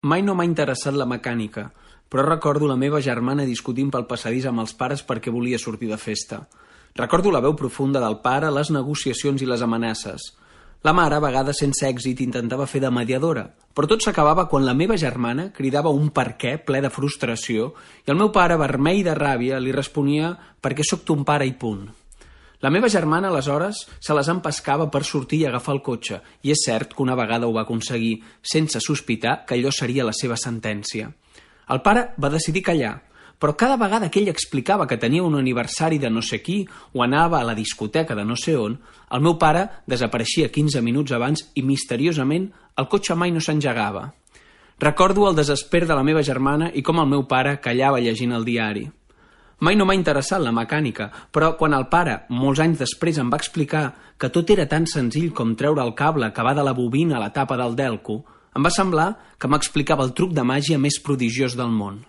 Mai no m'ha interessat la mecànica, però recordo la meva germana discutint pel passadís amb els pares perquè volia sortir de festa. Recordo la veu profunda del pare, les negociacions i les amenaces. La mare, a vegades sense èxit, intentava fer de mediadora, però tot s'acabava quan la meva germana cridava un per què ple de frustració i el meu pare, vermell de ràbia, li responia «perquè sóc ton pare i punt». La meva germana, aleshores, se les empescava per sortir i agafar el cotxe, i és cert que una vegada ho va aconseguir, sense sospitar que allò seria la seva sentència. El pare va decidir callar, però cada vegada que ell explicava que tenia un aniversari de no sé qui o anava a la discoteca de no sé on, el meu pare desapareixia 15 minuts abans i, misteriosament, el cotxe mai no s'engegava. Recordo el desesper de la meva germana i com el meu pare callava llegint el diari. Mai no m'ha interessat la mecànica, però quan el pare, molts anys després, em va explicar que tot era tan senzill com treure el cable que va de la bobina a la tapa del delco, em va semblar que m'explicava el truc de màgia més prodigiós del món.